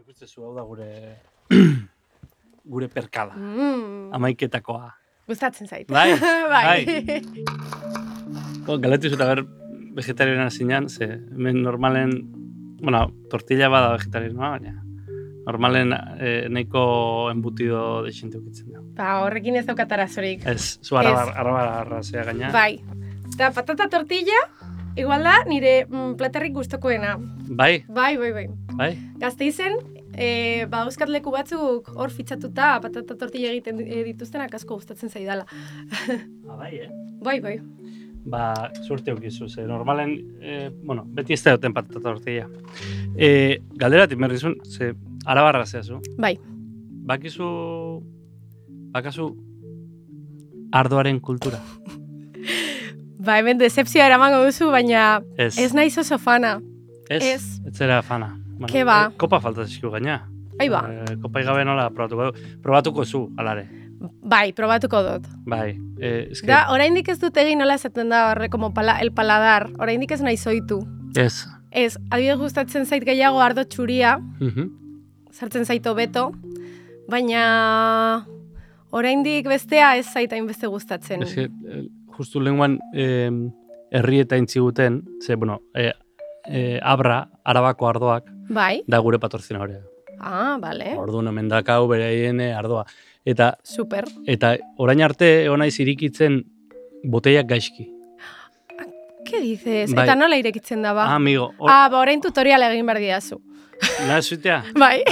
Ikustezu hau da gure perkala. Amaiketakoa. Gustatzen zait. Bai, bai. Galdetu zut, vegetariana zinean, ze hemen normalen, tortilla bada vegetarianoa, baina normalen nahiko embutido dexente ukitzen da. Horrekin ez daukat arazorik. Ez, zu arabarra zea gaina. Bai. Eta patata tortilla, igual da, nire platerrik gustokoena. Bai? Bai. Gazteizen, badauzkat leku batzuk hor fitxatuta patata tortilla egiten dituztenak asko gustatzen zaidala. Bai, Bai. Suerte aukizu, ze normalen, beti ez da duten patata tortilla. Galderatik merrizun, ze arabarra zehazu. Bai. Bakazu ardoaren kultura. Ba, hemen decepzioa eramango duzu, baina ez naiz oso fana. Ez zera fana. Ke ba? Kopa falta zizkiu gaina. Ba. Kopa igabe nola probatuko zu, alare. Bai, probatuko dut. Bai. Da, oraindik ez dut egin nola esaten da horre, como el paladar. Oraindik ez nahi zoitu. Ez. Ez, adibidez gustatzen zait gehiago ardo txuria, sartzen zaito beto, baina oraindik bestea ez zait hainbeste gustatzen. Ez justu lenguan herrieta intziguten, ze, Arabako ardoak, bai? Da gure patrozinadorea. Bale. Orduan hemen dakau bereien ardoa. Eta, super. Eta orain arte naiz irikitzen boteiak gaizki. ¿Qué dices? Bai. Eta nola irekitzen da ba? Amigo. Orain tutorial egin behar diazu. Nahi zuitea? Bai.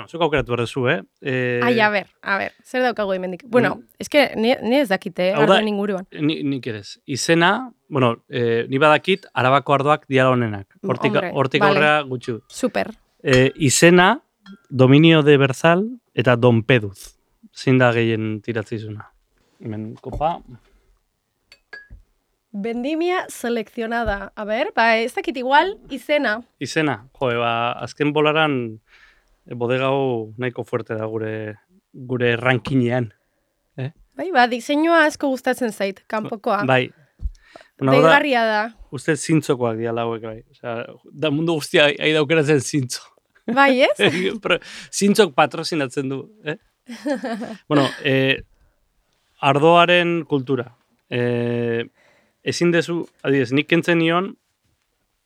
Zuk aukeratu behar duzu, a ver, zer daukagu hemendik? Es que ni ez dakite, ardoen inguruan. Nik edez. Izena, ni badakit, Arabako ardoak diala honenak. Hortik aurrea gutxu. Super. Izena, Dominio de Berzal eta Don Peduz. Zein da gehien tiratzizuna. Hemen, kopa. Vendimia seleccionada. A ver, ez dakit igual, izena. Izena, azken bolaran bodegau nahiko fuerte da gure rankinean. Bai, diseinua asko gustatzen zait, kanpokoa. Bai. Deigarria da. Uste zintzokoak diala hauek, bai. Da mundu guztia ahi daukeratzen zintzo. Bai, ez? Zintzok patrozinatzen du. Ardoaren kultura. Ezin dezu, adibidez, nik kentzen nion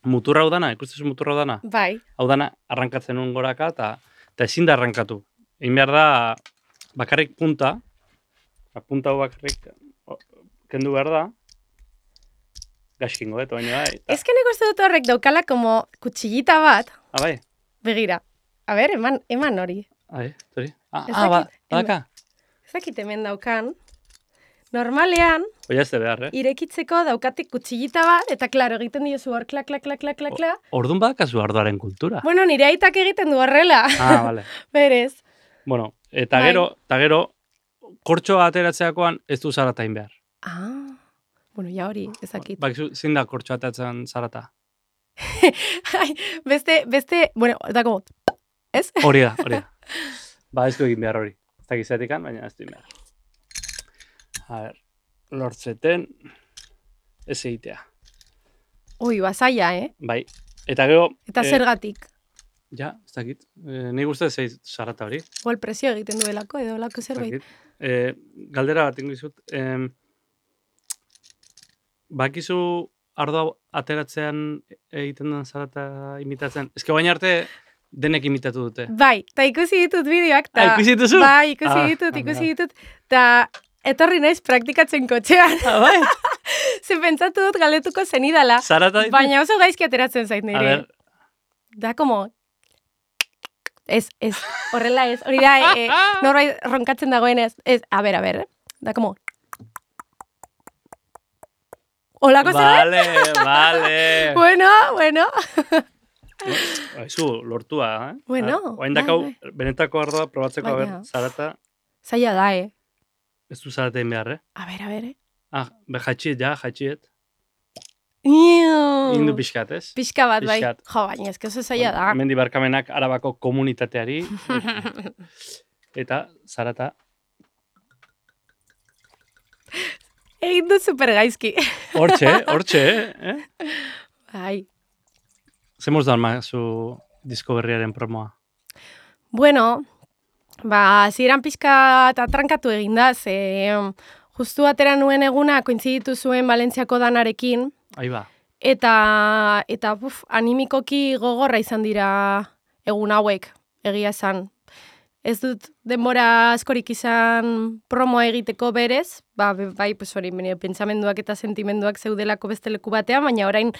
muturra hau dana, ikustezu muturra hau dana? Bai. Hau dana arrankatzen nuen goraka eta ezin da arrankatu. Egin behar da bakarrik punta hau bakarrik kendu behar da, gaxkingo, baina bai. Ez que nik uste dut horrek daukala como kutxillita bat. Bai. Begira. A ber, eman hori. Hori. Badaka. Ez dakit hemen daukan. Normalean, irekitzeko daukatik kutxillita bat, eta klaro, egiten diozu hor, klak. Orduan badakazu ardoaren kultura. Nire aitak egiten du horrela. Bale. Berez. Eta gero, kortxoa ateratzeakoan ez du zaratain behar. Ja hori, ezakit. Zein da kortxoa ateratzen zarata? Beste, da como, ez? Hori da. Ez du egin behar hori. Ez da gizatikan, baina ez du egin behar. A ver, lortzeten ez egitea. Zaila, Bai, eta gero... Eta zergatik? Ja, ez dakit. Ni guztat ez zarata hori. Igual presio egiten duelako edo lako zerbait. Galdera bat ingizut. Bakizu ardoa ateratzean egiten den zarata imitatzen? Ez que baina arte denek imitatu dute. Bai, eta ikusi ditut bideoak. Ikusi dituzu? Bai, ikusi ditut. Eta etorri naiz praktikatzen kotxean. Bai? Ze pentsatu dut galetuko zenidala. Zarata ditu? Baina oso gaizki ateratzen zait nire. A ver. Da como... Ez, horrela ez. Hori da, norbait ronkatzen dagoen ez. A ver. Da como... Olako zerbait? Vale. Bueno. Zu, lortua, Bueno. Oain dakau, benetako ardoa probatzeko, a ver, zarata... Zaila da, Ez du zaratein behar, A ver. Jatxiet. Indu pixkat, ez? Pixka bat, bai. Baina ez que oso zaila da. Mendi barkamenak Arabako komunitateari. Eta zarata. Egin du super gaizki. Hortxe, Bai. Zemuz da zu disko berriaren promoa? Bueno, hasieran pixka eta trankatu egin da, justu atera nuen eguna kointziditu zuen Valentziako danarekin, Ahí ba. eta animikoki gogorra izan dira egun hauek, egia esan. Ez dut denbora askorik izan promoa egiteko berez, bai, hori, pentsamenduak eta sentimenduak zeudelako beste leku batean, baina orain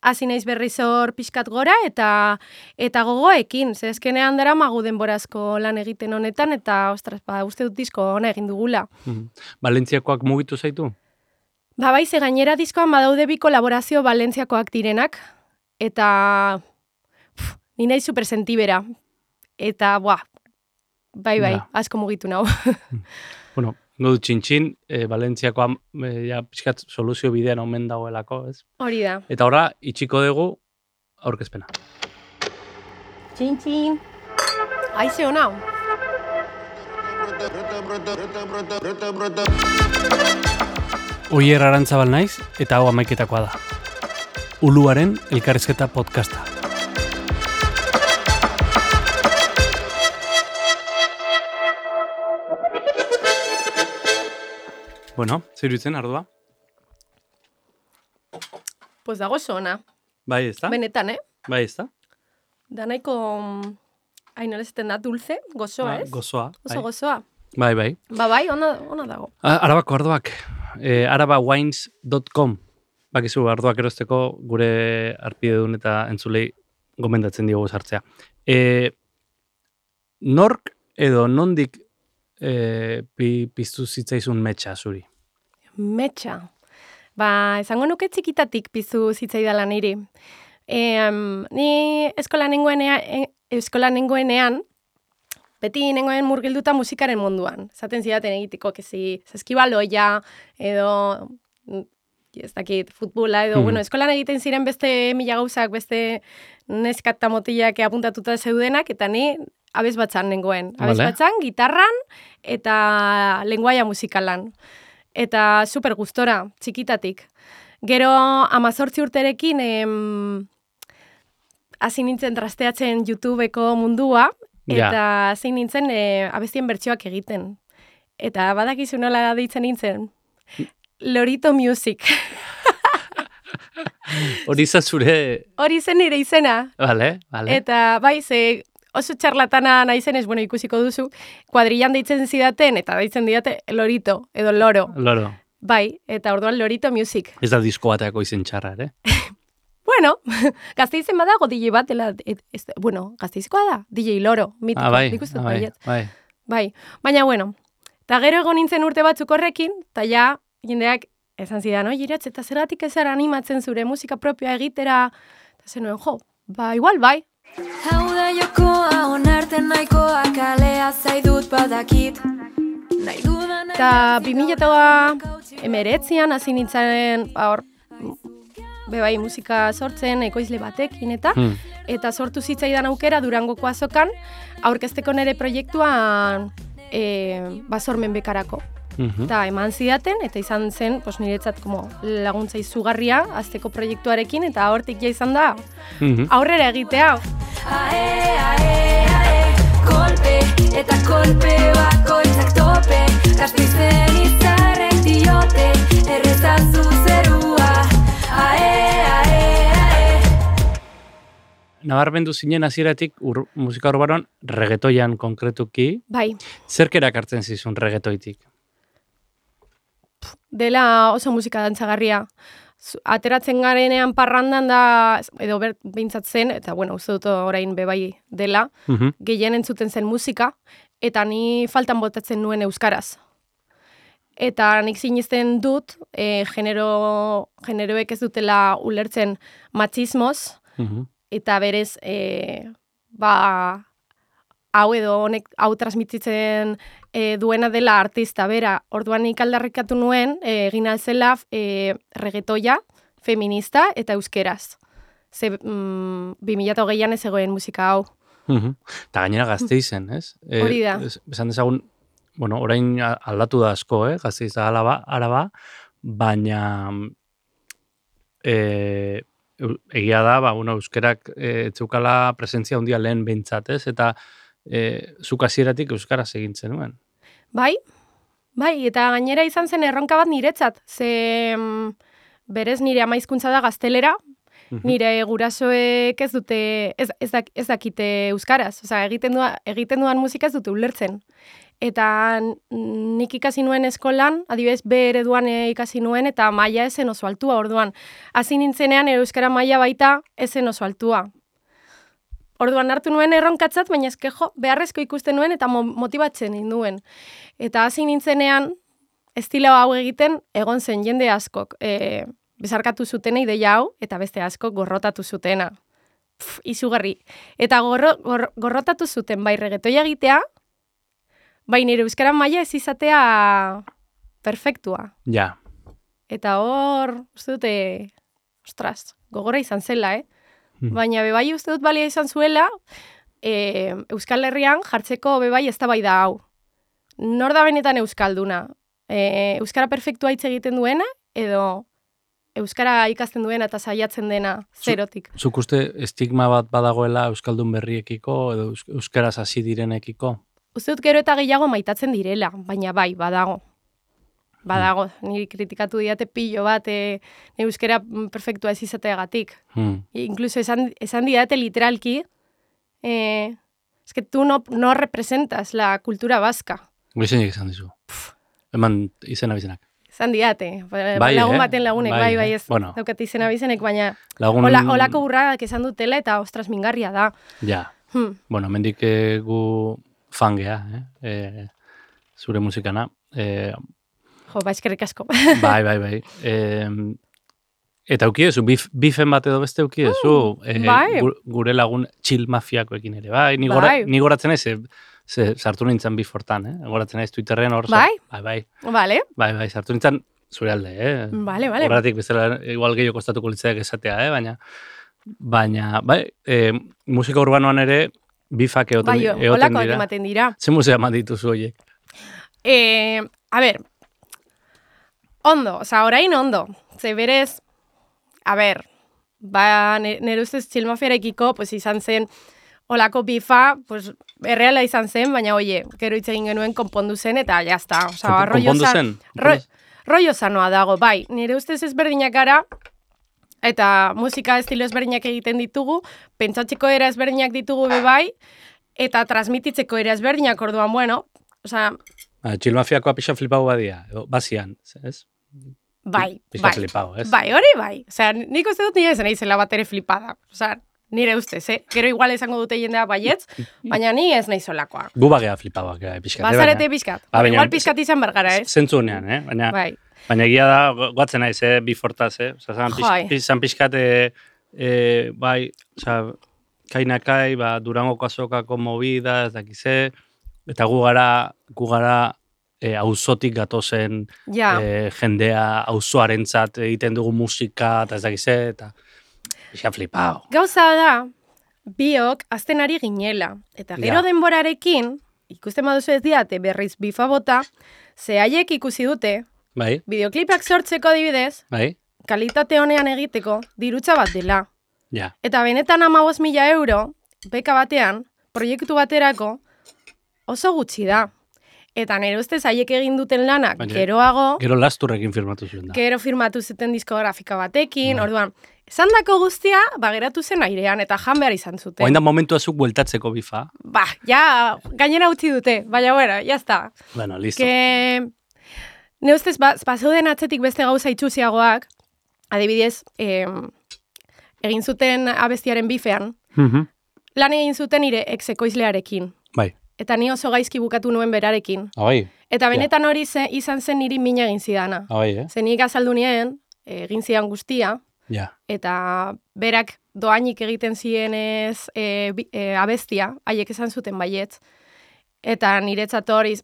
hasi naiz berriz hor pixkat gora eta gogoekin, ze eskenean daramagu denbora asko lan egiten honetan, eta ostras, uste dut disko ona egin dugula. Valentziakoak mugitu zaitu? Bai, ze gainera diskoan badaude bi kolaborazio Valentziakoak direnak, eta ni nahi supersentibera. Eta, bai, asko mugitu nau. Bueno, godu txintxin, Valentziakoa pixkat soluzio bidean omen dagoelako, ez? Hori da. Eta horra, itxiko dugu aurkezpena. Txintxin. Aize hona. Oier Arantzabal naiz, eta hau amaiketakoa da. Uluaren elkarrizketa podcasta. Bueno, zer dutzen, Ardua? Pues dago oso ona. Bai, ez da? Benetan, Bai, ez da? Da nahiko, nola esaten da, dulce, gozoa, ez? Gozoa. Oso gozoa. Bai, bai. Bai, ona dago. Arabako ardoak, arabawines.com, bakizu ardoak erosteko gure arpidedun eta entzulei gomendatzen diogu sartzea. Nork edo nondik piztu zitzaizun metxa zuri? Metxa. Esango nuke txikitatik piztu zitzaidala niri. Ni eskola nengoenean, beti nengoen murgilduta musikaren munduan. Zaten zidaten egiteko, saskibaloia, edo, ez dakit, futbola, edo, eskolan egiten ziren beste mila gauzak, beste neskata motilak apuntatuta zeudenak, eta ni abesbatzan nengoen. Abesbatzan, gitarran, eta lenguaia musikalan. Eta super gustora, txikitatik. Gero, 18 urterekin, hasi nintzen trasteatzen YouTubeko mundua, eta hasi nintzen abestien bertsioak egiten. Eta badakizu nola deitzen nintzen? Lorito Music. Hori izan zure... Hori zen nire izena. Vale. Eta bai, ze oso txarlatana naizenez, ikusiko duzu, kuadrillan deitzen zidaten, eta deitzen didate Lorito, edo Loro. Loro. Bai, eta orduan Lorito Music. Ez da disko bateako izen txarra, ere? Bueno, Gasteizen badago DJ bat, Gasteizkoa da, DJ Loro, mitiko. Bai, baina bueno, eta gero egon nintzen urte batzuk horrekin, eta ja, jendeak esan zidan, Iratz, eta zergatik ez zara animatzen zure musika propioa egitera, eta zenuen, igual bai. Hau da jokoa, onarten nahikoa, kalea zaidut badakit. Eta 2019an hasi nintzen, bai, musika sortzen, ekoizle batekin eta sortu zitzaidan aukera Durangoko azokan, aurkezteko nire proiektuan Sormen bekarako. Eta eman zidaten, eta izan zen niretzat laguntza izugarria azteko proiektuarekin, eta hortik ja izan da aurrera egitea. Kolpe eta kolpe bakoitzak tope, Gasteizen izarrek diote, errezazu zerua. Nabarmendu zinen hasieratik musika urbanon reggaetoian konkretuki. Bai. Zerk erakartzen zizun reggaetoitik? Dela oso musika dantzagarria. Ateratzen garenean parrandan da, edo behintzat zen, eta uste dut orain bebai dela, gehien entzuten zen musika, eta ni faltan botatzen nuen euskaraz. Eta nik sinisten dut, generoek ez dutela ulertzen matxismoz, eta berez, hau edo honek hau transmititzen duena dela artista bera. Orduan nik aldarrikatu nuen, egin alzela reggaetoia, feminista eta euskeraz. Ze 2008an ez egoen musika hau. Eta gainera Gasteizen, ez? Hori da. Esan dezagun, orain aldatu da asko, Gasteiz da Araba, baina egia da, euskerak etzeukala presentzia handia lehen behintzat, ez? Eta zuk hasieratik euskaraz egin zenuen. Bai, eta gainera izan zen erronka bat niretzat, ze berez nire ama hizkuntza da gaztelera, nire gurasoek ez dute, ez dakite euskaraz, osea, egiten duan musika ez dute ulertzen. Eta nik ikasi nuen eskolan, adibidez, B ereduan ikasi nuen, eta maila ezen oso altua, orduan. Hasi nintzenean, euskara maila baita ezen oso altua. Orduan hartu nuen erronkatzat, baina eskejo, beharrezko ikusten nuen eta motibatzen ninduen. Eta hasi nintzenean, estilo hau egiten, egon zen jende askok. Bezarkatu zutena ideia hau, eta beste askok gorrotatu zutena. Izugarri. Eta gorrotatu zuten, bai reggaetoia egitea, bai nire euskara maila ez izatea perfektua. Ja. Eta hor, uste dute, ostras, gogorra izan zela, Baina bebai uste dut balia izan zuela, Euskal Herrian jartzeko bebai eztabaida hau. Nor da benetan euskalduna? Euskara perfektua hitz egiten duena, edo euskara ikasten duena eta saiatzen dena zerotik. Zuk uste estigma bat badagoela euskaldun berriekiko, edo euskaraz hasi direnekiko? Uste dut gero eta gehiago maitatzen direla, baina bai, badago. Badago, niri kritikatu diate pilo bat euskara perfektua ez izateagatik. Incluso esan diate literalki, es que tú no representas la cultura vasca. Goizenik esan dizu. Eman izena bizenak. Esan diate, lagun baten lagunek, bai, ez daukat izena bizenek, baina holako burradak esan dutela eta ostras mingarria da. Ja, bueno, mendik gu fangea, zure musikana. Jo, eskerrik asko. Bai. Eta eukiezu, bifen bat edo beste eukiezu, gure lagun chill mafiakoekin ere, bai? Ni goratzen ez, sartu nintzen bifortan, goratzen ez Twitterren hor. Bai? Bai. Bai, sartu nintzen zure alde, Vale. Horretik bezala, igual gehiago kostatuko litzaiak esatea, baina, musika urbanoan ere, bifak egoten dira. Bai, holako ematen dira. Ze musea eman dituzu horiek? A ber, ondo, orain ondo. Ze berez, nire ustez txilmafiarekiko, izan zen, olako bifa, erreala izan zen, baina, gero hitz egin genuen konpondu zen, eta jazta. Konpondu zen? Rollo sanoa dago, bai. Nire ustez ezberdinak gara, eta musika estilo ezberdinak egiten ditugu, pentsatzeko era ezberdinak ditugu bai, eta transmititzeko era ezberdinak orduan, bueno, txilmafiakoa pixa flipau badia, bazian, ez? Bai. Pixa flipau, ez? Bai, hori bai. Nik uste dut nire zen izela bat ere flipada. Nire ustez, Gero igual esango dute jendea baietz, baina ni ez nahi zolakoa. Gu bagea flipauak, pixkat. Bazarete pixkat. Igual pixkat izan bergara, ez? Zentzu honean, baina egia da, guatzen naiz, bifortaz, zan pixkat, bai, kainakai, Durangoko azokako movida, ez dakize, eta gu gara auzotik gatozen jendea auzoarentzat egiten dugu musika, eta ez dakize, eta pixka flipao. Gauza da, biok azten ari ginela, eta gero denborarekin, ikusten baduzu ez diate berriz bifa bota, ze haiek ikusi dute, bideoklipak sortzeko adibidez, kalitate honean egiteko, dirutza bat dela. Eta benetan 15.000 euro, beka batean, proiektu baterako, oso gutxi da. Eta nire ustez haiek egin duten lanak geroago... Gero lasturrekin firmatu zuen da. Gero firmatu zuten diskografika batekin, orduan, esan dako guztia, geratu zen airean, eta jan behar izan zuten. Oain da momentu azuk bueltatzeko bifa. Gainera utzi dute, baina, jazta. Bueno, listo. Nire ustez, bazeuden atzetik beste gauza itxuziagoak, adibidez, egin zuten abestiaren bifean, lan egin zuten nire ex-ekoizlearekin. Bai. Eta ni oso gaizki bukatu nuen berarekin. Eta benetan hori izan zen niri mina egin zidana. Zen nik azaldu nien, egin zidan guztia, eta berak doainik egiten zienez abestia, haiek esan zuten baietz, eta niretzat hori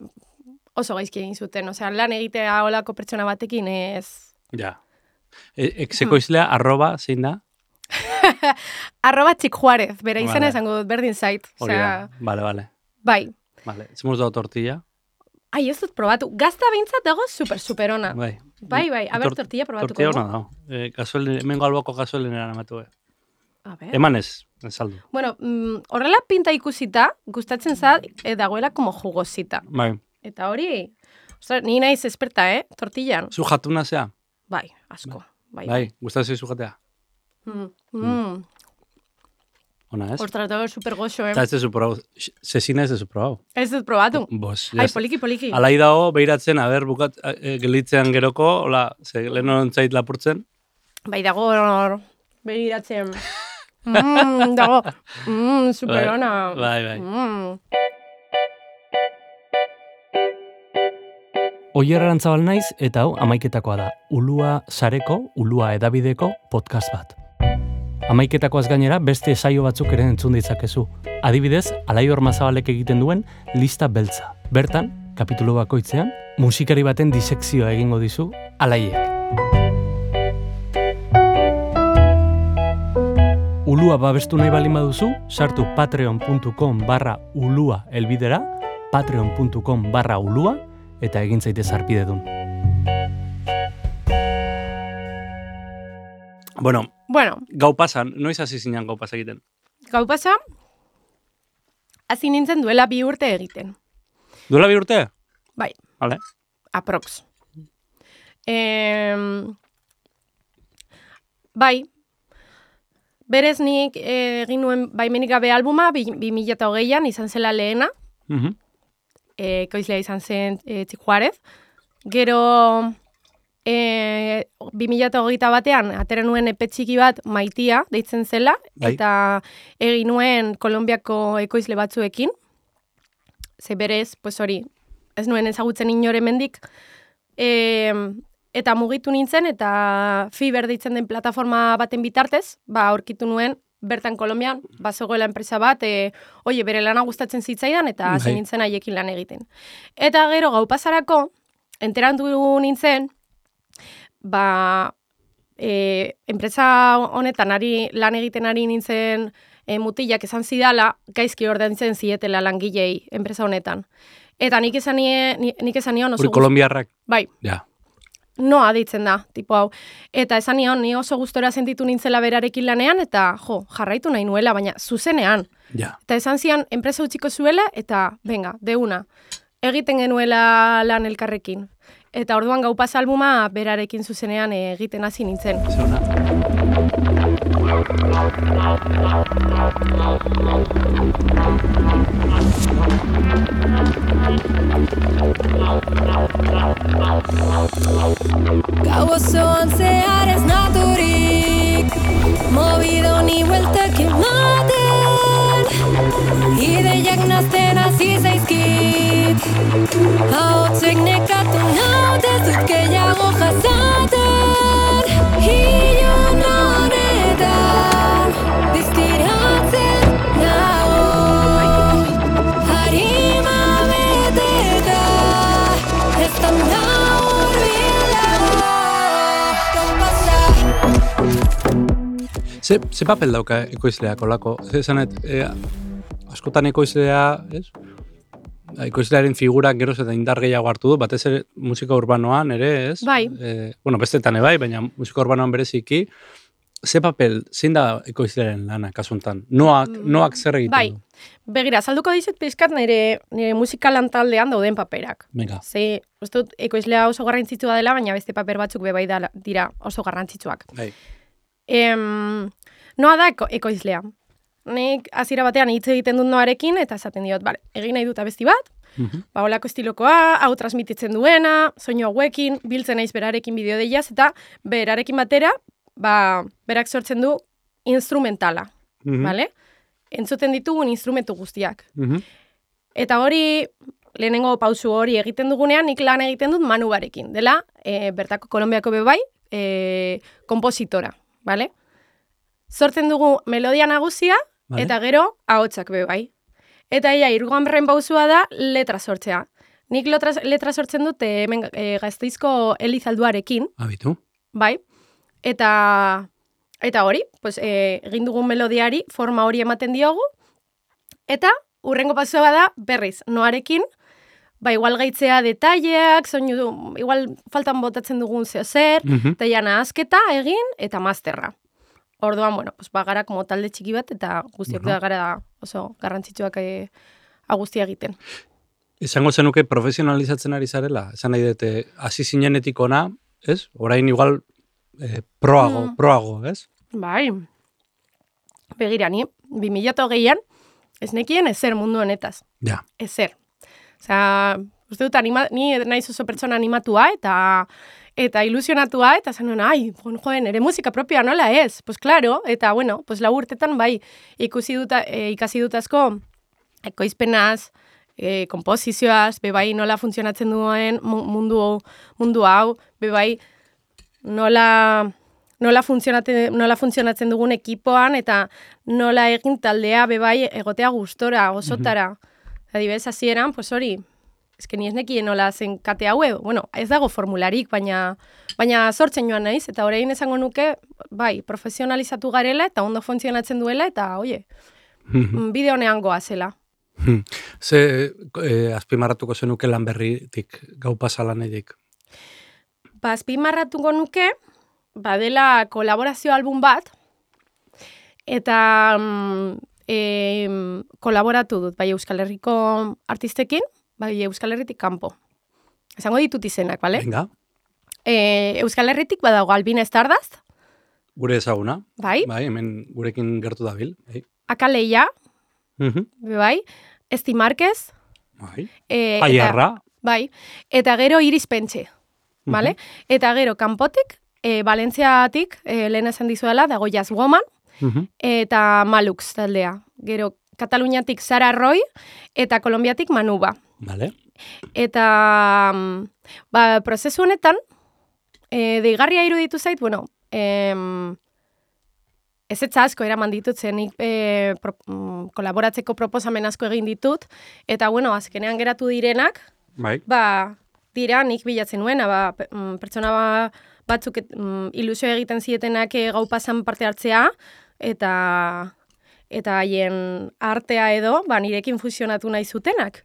oso gaizki egin zuten. Osea, lan egitea olako pertsona batekin ez... Exekoizlea zein da? @txikjuarez, bera izena esango dut, berdin zait. Hori da, bale. Bai. Zemuz dago tortilla? Ez dut probatu. Gazta behintzat dago super ona. Bai. Bai, aber tortilla probatuko. Tortilla hona dago. Hemengo alboko gasolinera namatu. A ver. Emanez, saldu. Bueno, horrela pinta ikusita, gustatzen zait, dagoela como jugosita. Bai. Eta hori, ostras, ni naiz esperta, tortillan. Zu jatuna zea? Bai, asko. Bai, gustatzen zu jatea? Ona, ez? Ostras, da super goxo, Eta ez dezu probau. Zezina ez dezu probau. Ez dut probatu. Bos, Ai, poliki. Alai dago, behiratzen, bukat, gelitzean geroko, hola, ze lehen ontzait lapurtzen. Bai, dago, behiratzen. Dago, super ona. Bai. Oier Arantzabal naiz eta hau amaiketakoa da. Ulua sareko, Ulua edabideko podcast bat. Amaiketakoaz gainera beste saio batzuk ere entzun ditzakezu. Adibidez, Alaior Mazabalek egiten duen Lista Beltza. Bertan, kapitulo bakoitzean, musikari baten disekzioa egingo dizu Alaiek. Ulua babestu nahi baldin baduzu, sartu patreon.com/ulua elbidera, patreon.com/ulua, eta egin zaitez harpidedun. Bueno, gau pasan, noiz hasi zinean gau pasa egiten? Gau pasa, hasi nintzen duela 2 urte egiten. Duela 2 urte? Bai. Vale. Aprox. Bai, berez nik egin nuen baimenik gabe albuma, 2008an izan zela lehena, ekoizlea izan zen Txik Juarez. Gero 2008 batean atera nuen epe txiki bat Maitia deitzen zela, eta egin nuen Kolonbiako ekoizle batzuekin. Ze berez, pues hori, ez nuen ezagutzen inore mendik. Eta mugitu nintzen, eta Fiber deitzen den plataforma baten bitartez, aurkitu nuen bertan Kolonbian, bazegoela enpresa bat, bere lana gustatzen zitzaidan, eta hasi nintzen haiekin lan egiten. Eta gero gau pasarako, enterantu nintzen, enpresa honetan lan egiten ari nintzen mutilak esan zidala, gaizki ordaintzen zietela langilei enpresa honetan. Eta nik esan nion oso... Hori kolombiarrak? Bai. Ja. Noa deitzen da, tipo hau. Eta esan nion, ni oso gustora sentitu nintzela berarekin lanean, eta jarraitu nahi nuela, baina zuzenean. Ja. Eta esan zian, enpresa utziko zuela, eta venga, deuna. Egiten genuela lan elkarrekin. Eta orduan gau pasa albuma berarekin zuzenean egiten hasi nintzen. Zona. Gau osoan zehar ez naturik, mobido ni bueltak ematen, ideiak nazten hasi zaizkit, ahotzek nekatu naute zut gehiago jasaten, hilun honetan diztiratzen nago, harima beteta ez da Ze papel dauka ekoizleak olako? Zanet, askotan ekoizlea, ez? Ekoizlearen figurak geroz eta indar gehiago hartu du, batez ere musika urbanoan ere, ez? Bai. Bestetan bai, baina musika urbanoan bereziki, ze papel, zein da ekoizlearen lana, kasuntan? Noak zer egiten du? Bai, begira, salduko dizut pizkat nire musikalan taldean dauden paperak. Venga. Ze, uste dut, ekoizlea oso garrantzitsua dela, baina beste paper batzuk bebai dira oso garrantzitsuak. Bai. Noa da ekoizlea. Nik hasiera batean hitz egiten dut noarekin, eta esaten diot, egin nahi dut abesti bat, holako estilokoa, hau transmititzen duena, soinu hauekin, biltzen naiz berarekin bideo deiaz, eta berarekin batera, berak sortzen du instrumentala, bale? Entzuten ditugun instrumentu guztiak. Eta hori, lehenengo pausu hori egiten dugunean, nik lan egiten dut Manu barekin, dela, bertako Kolonbiako bebai, kompositora, bale? Sortzen dugu melodia nagusia, eta gero ahotsak bebai. Eta hirugarren pausua da letra sortzea. Nik letra sortzen dut hemen Gasteizko Elizalduarekin. Abitu. Bai. Eta hori, pues, egin dugun melodiari forma hori ematen diogu. Eta hurrengo pausua da berriz, noarekin igual gaitzea detaileak, soinu, igual faltan botatzen dugun zer, eta jana azketa egin, eta masterra. Orduan, bueno, pues bagara como talde txiki bat, eta guztiok da gara oso garrantzitsuak guztia egiten. Izango zenuke profesionalizatzen ari zarela? Esan nahi dute, hasi zinenetik ona, ez? Orain igual proago, ez? Bai. Begira, ni 2008an ez nekien ezer mundu honetaz. Ja. Ezer. Osea, uste dut, ni naiz oso pertsona animatua eta ilusionatua, eta zen nuen, joen, ere musika propioa nola ez? Pues claro, eta bueno, pues lau urtetan bai ikasi dut asko ekoizpenaz, komposizioaz, bebai nola funtzionatzen duen mundu hau, bebai nola funtzionatzen dugun ekipoan, eta nola egin taldea bebai egotea gustora, osotara. Adibidez, hasieran, pues hori, eske ni ez nekien nola zen kate haue, bueno, ez dago formularik, baina sortzen joan naiz, eta orain esango nuke, bai, profesionalizatu garela, eta ondo funtzionatzen duela, eta, oie, bide honean goazela. Ze azpimarratuko zenuke lan berritik, gau pasalan edik? Azpimarratuko nuke, dela kolaborazio album bat, eta kolaboratu dut, bai Euskal Herriko artistekin, bai Euskal Herritik kanpo. Esango ditut izenak, bale? Venga. Euskal Herritik badago Albina Stardust. Gure ezaguna. Bai. Bai, hemen gurekin gertu dabil. Bai. Akaleia. Bai. Esti Marquez. Bai. Aiarra. Bai. Eta gero Iris Pentxe. Bale? Eta gero kanpotik, Valentziatik, lehen esan dizuela, dago Jazz Woman, eta Malux taldea. Gero Kataluniatik Sara Roy, eta Kolombiatik Manuba. Vale. Eta prozesu honetan, deigarria iruditu zait, bueno, ez asko eraman ditut zen, kolaboratzeko proposamen asko egin ditut, eta bueno, azkenean geratu direnak, bai. Dira nik bilatzen nuena, pertsona batzuk ilusio egiten zietenak gau pasan parte hartzea, eta haien artea edo, nirekin fusionatu nahi zutenak.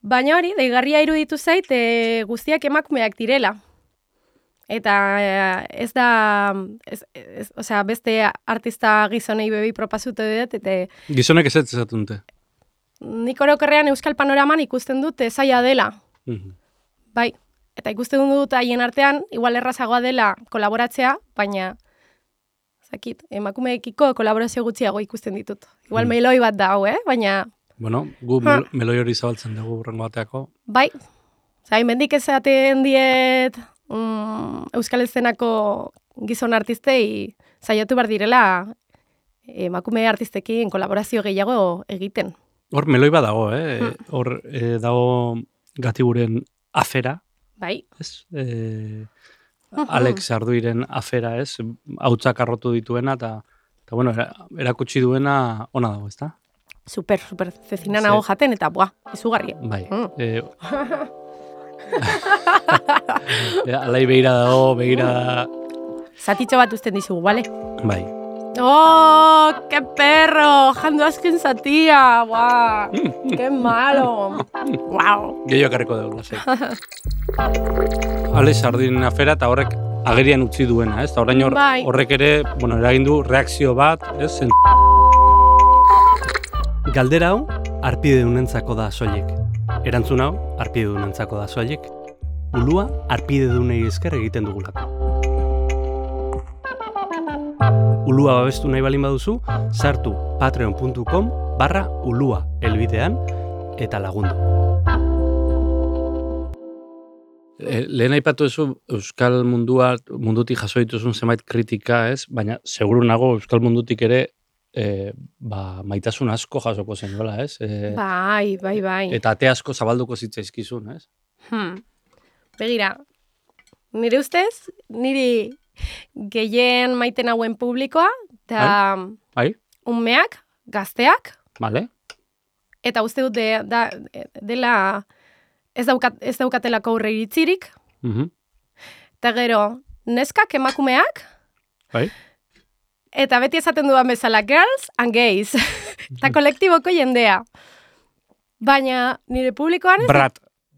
Baina hori, deigarria iruditu zait, guztiak emakumeak direla. Eta ez da, osea, beste artista gizonei bebi propasute dut, eta... Gizonek ez ezatunte? Nik orokorrean Euskal Panoraman ikusten dut zaila dela. Bai, eta ikusten dut haien artean, igual errazagoa dela kolaboratzea, baina, zakit, emakumeekiko kolaborazio gutxiago ikusten ditut. Igual meloi bat da hau, baina... Bueno, gu meloi hori zabaltzen dugu urrengo bateako. Bai, zain mendik ezaten diet Euskal Eszenako gizon artistei saiatu behar direla emakume artistekin kolaborazio gehiago egiten. Hor meloi bat dago, hor dago Gatiburen afera. Bai. Ez? Alex Arduiren afera, ez? Hautsak arrotu dituena, eta bueno, erakutsi duena ona dago, ezta? Super, Cecina nago jaten, eta izugarri. Bai. Alai begira dago, Zatitxo bat usten dizugu, bale? Bai. ¡Oh, qué perro! Jando azken zatia, ¡guau! ¡Qué malo! ¡Guau! Gehiago karriko dugu, lasei. Alex Arduinen afera eta horrek agerian utzi duena, ez? Eta orain horrek ere, bueno, eragin du reakzio bat, ez? Galdera hau, arpidedunentzako da soilik. Erantzun hau, arpidedunentzako da soilik. Ulua, arpidedunei esker egiten dugulako. Ulua babestu nahi balin baduzu, sartu patreon.com/ulua elbidean eta lagundu. Lehen aipatu ezu Euskal mundutik jaso dituzun zenbait kritika, ez? Baina seguru nago Euskal mundutik ere maitasun asko jasoko zen, dola, ez? Bai. Eta ate asko zabalduko zitzaizkizun, ez? Begira, nire ustez, niri gehien maiten hauen publikoa, eta umeak, gazteak. Vale. Eta uste dut dela ez daukatelako aurre iritzirik. Eta gero, neskak emakumeak. Bai. Eta beti esaten dudan bezala, girls and gays. Eta kolektiboko jendea. Baina nire publikoan ez...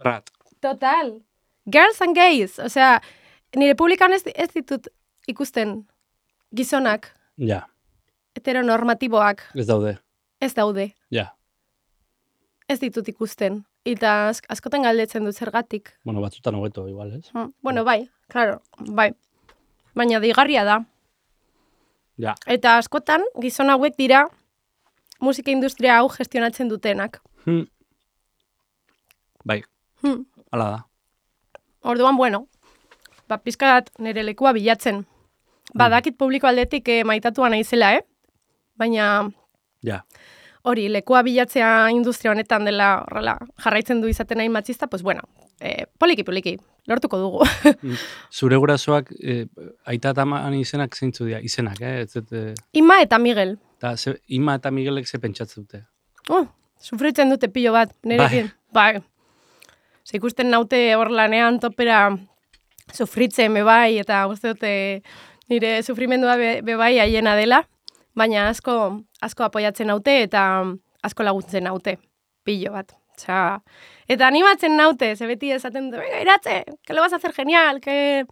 Rat. Total. Girls and gays. Osea, nire publikan ez ditut ikusten gizonak. Ja. Heteronormatiboak. Ez daude. Ez daude. Ja. Ez ditut ikusten. Eta askotan galdetzen dut zergatik. Bueno, batzutan hobeto, igual, ez? Bueno, bai, claro, bai. Baina deigarria da. Ja. Eta askotan, gizon hauek dira musika industria hau gestionatzen dutenak. Bai, hala da. Orduan, bueno, pizkat nire lekua bilatzen. Badakit publiko aldetik maitatua naizela, Baina... Ja. Hori, lekua bilatzea industria honetan dela horrela jarraitzen du izaten nahi matxista, pues bueno, poliki, lortuko dugu. Zure gurasoak aita eta aman izenak zeintzu dira, izenak, Ima eta Miguel. Ima eta Miguelek ze pentsatzen dute. Sufritzen dute pilo bat, nirekin. Bai. Ikusten naute hor lanean topera sufritzen bebai, eta uste dute nire sufrimendua bebai haiena dela, baina asko apoiatzen naute eta asko laguntzen naute, pilo bat. Eta animatzen naute, ze beti esaten dute, venga, Iratxe, que lo vas a hacer genial, que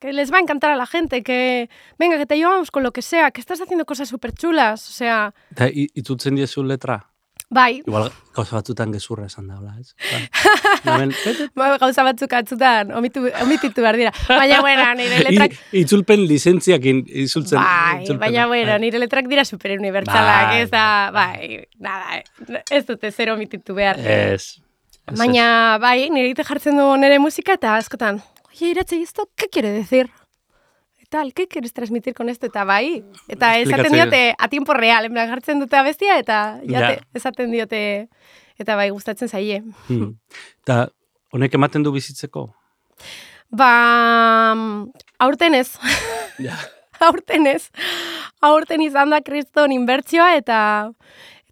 les va a encantar a la gente, que venga, que te llevamos con lo que sea, que estás haciendo cosas súper chulas, osea... Eta itutzen diezu letra? Bai. Igual gauza batzutan gezurra esan da, ez? Gauza batzuk atzutan, omititu behar dira. Baina, bueno, nire letrak... Itzulpen lizentziakin izultzen. Bai, baina, bueno, nire letrak dira superunibertsalak, ez da, bai, nada, ez dute zer omititu behar. Ez. Baina, bai, nire ite jartzen du nire musika eta askotan, oye, Iratxe, ¿esto qué quiere decir? ¿Qué quieres transmitir con esto? Eta bai, eta esaten diote a tiempo real, enbran jartzen dute abestia, eta esaten diote, eta bai, gustatzen zaie. Eta honek ematen du bizitzeko? Aurten ez. Aurten izan da kriston inbertsioa, eta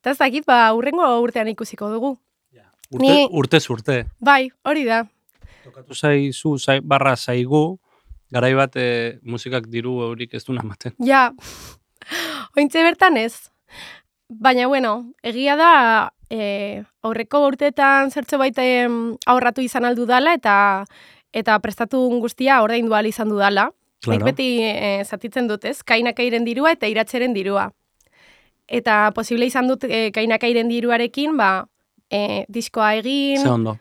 ez dakit, urrengo urtean ikusiko dugu. Urtez urte. Bai, hori da. Tokatu zaigu, garai bat musikak diru haurik ez du namaten. Ja, ointze bertan ez. Baina, bueno, egia da aurreko urteetan zertxo baita ahorratu izan aldu dala eta prestatu guztia ordaindu ahal izan dudala. Nik beti zatitzen dut ez, Kainakairen dirua eta Iratxeren dirua. Eta posible izan dut Kainakairen diruarekin, diskoa egin... Ze ondo.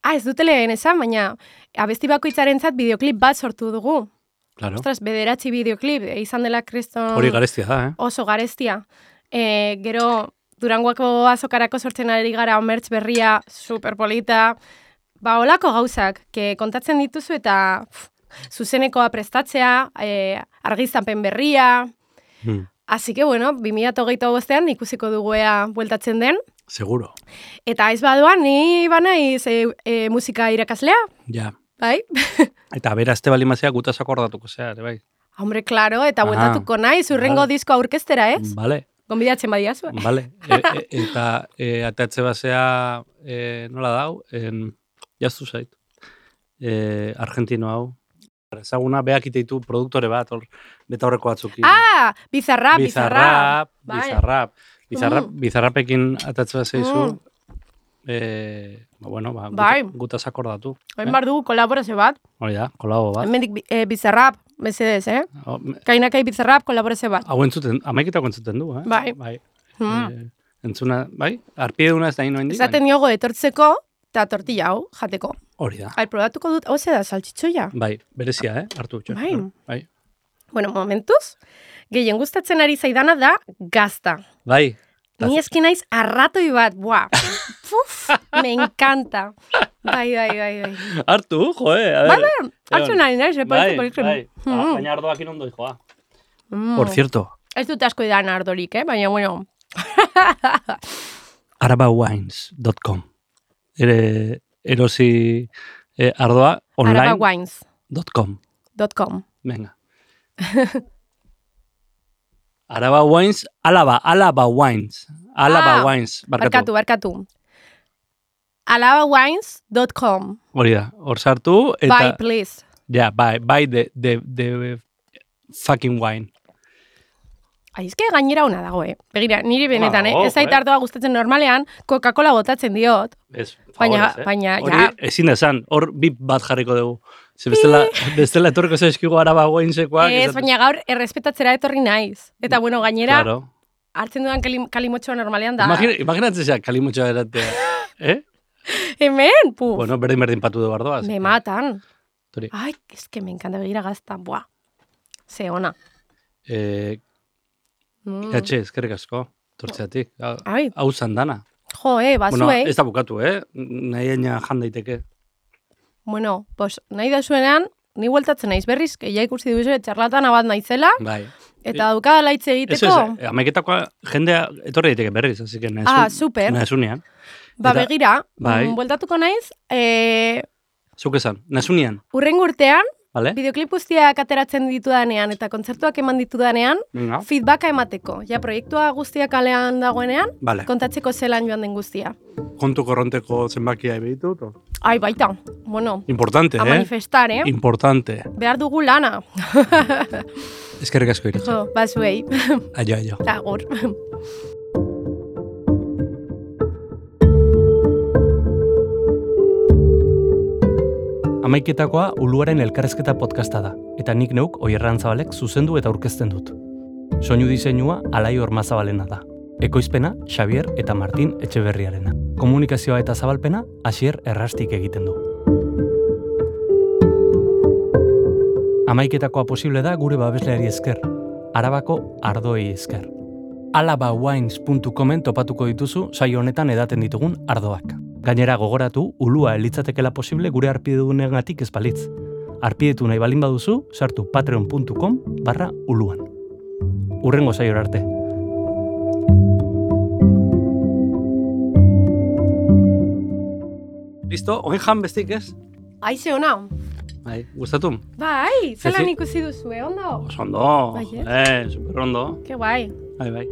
Ez dute lehen esan, baina abesti bakoitzarentzat bideoklip bat sortu dugu. Claro. Ostras, 9 bideoklip, izan dela kriston... Hori garestia da, Oso garestia. Gero, Durangoako azokarako sortzen ari gara omertz berria, superpolita. Olako gauzak, kontatzen dituzu eta zuzenekoa prestatzea, argiztapen berria. Así que, bueno, 2025 ikusiko dugu ea bueltatzen den. Seguro. Eta ez badoan, ni banaiz musika irakaslea. Ja. Bai? Eta bera azte balimazia gutaz akordatuko zea, bai. Hombre, claro, eta bueltatuko naiz, urrengo disko aurkeztera, ez? Vale. Gonbidatzen badiazu. Vale. Eta atatze basea nola dau? Jaztu zait. Argentino hau. Ezaguna, beak iteitu produktore bat, beta horreko batzukin. Bizarrap. Bizarrapekin atatze basea izu. Gutaz akordatu. Hain bar dugu kolaborazio bat. Hori da, kolabo bat. Hemendik Bizarrap, mesedez, Kainakai Bizarrap kolaborazio bat. Hau entzuten, amaiketako entzuten du, Bai. Entzuna, bai? Arpieduna ez da ino hendik. Ezaten diogo etortzeko eta tortilla hau jateko. Hori da. Probatuko dut, hau da, saltxitxoia. Bai, berezia, hartu. Bai. Bueno, momentuz, gehien gustatzen ari zaidana da gazta. Bai. Ni eski naiz arratoi bat, me encanta. Bai. Hartu, joe, hartu nahi naiz, Bai. Baina ardoak inondo, joa. Por cierto. Ez dut asko idan ardorik, baina, bueno. arabawines.com Erosi ardoa online. arabawines.com Venga. Alaba Wines. Barkatu. alabawines.com Hori da, hor sartu. Buy, please. Yeah, buy the fucking wine. Aizke gainera ona dago, Begira, niri benetan, ez zait ardoa gustatzen normalean, Coca-Cola botatzen diot. Baina, hori ezin esan, hor bip bat jarriko dugu. Bestela etorriko zaizkigu araba goinzekoak. Baina gaur errespetatzera etorri naiz. Eta bueno, gainera, hartzen dudan kalimotxoa normalean da. Imaginatzen zeak kalimotxoa eratea. Hemen, puf. Bueno, berdin patu du bardoaz. Me matan. Ai, eske me encanta begira gazta. Buah, ze ona. Ikatxe, eskerrik asko, tortzeatik. Hau zandana. Jo, bazuei. Bueno, ez da bukatu, nahi eina jan daiteke. Bueno, pues nahi da zuenean, ni bueltatzen naiz berriz, ja ikusi duzu txarlatan bat naizela. Bai. Eta dukada laitze egiteko. Eso, amaiketakoa jendea etorri daiteke berriz, así que super. Nazunean. Begira, bueltatuko naiz. Zuk esan, nazunean. Urrengo urtean, vale. Bideoklip guztiak ateratzen ditudanean eta kontzertuak eman ditudanean, feedbacka emateko. Ja, proiektua guztiak kalean dagoenean, kontatzeko zelan joan den guztia. Kontu korronteko zenbakia ebitut? Ai, baita. Bueno. Importante, a manifestar, Importante. Behar dugu lana. Eskerrik asko Iratxe. Jo, bazuei. Aio. Agur. Amaiketakoa Uluaren elkarrezketa podcasta da, eta nik neuk Oier Arantzabalek zuzendu eta aurkezten dut. Soinu diseinua Alai Ormazabalena da. Ekoizpena Xavier eta Martin Etxeberriarena. Komunikazioa eta zabalpena Asier Errastik egiten du. Amaiketakoa posible da gure babesleari esker, Arabako ardoei esker. alabawines.comen topatuko dituzu saio honetan edaten ditugun ardoak. Gainera gogoratu, ulua elitzatekela posible gure arpidedunengatik ez balitz. Arpidetu nahi balin baduzu, sartu patreon.com/uluan. Urrengo saiora arte. Listo, oin jan bestik ez? Aize ona. Bai, gustatu? Bai, zelan ikusi duzu, ondo? Oso ondo, super ondo. Ke guai. Bai.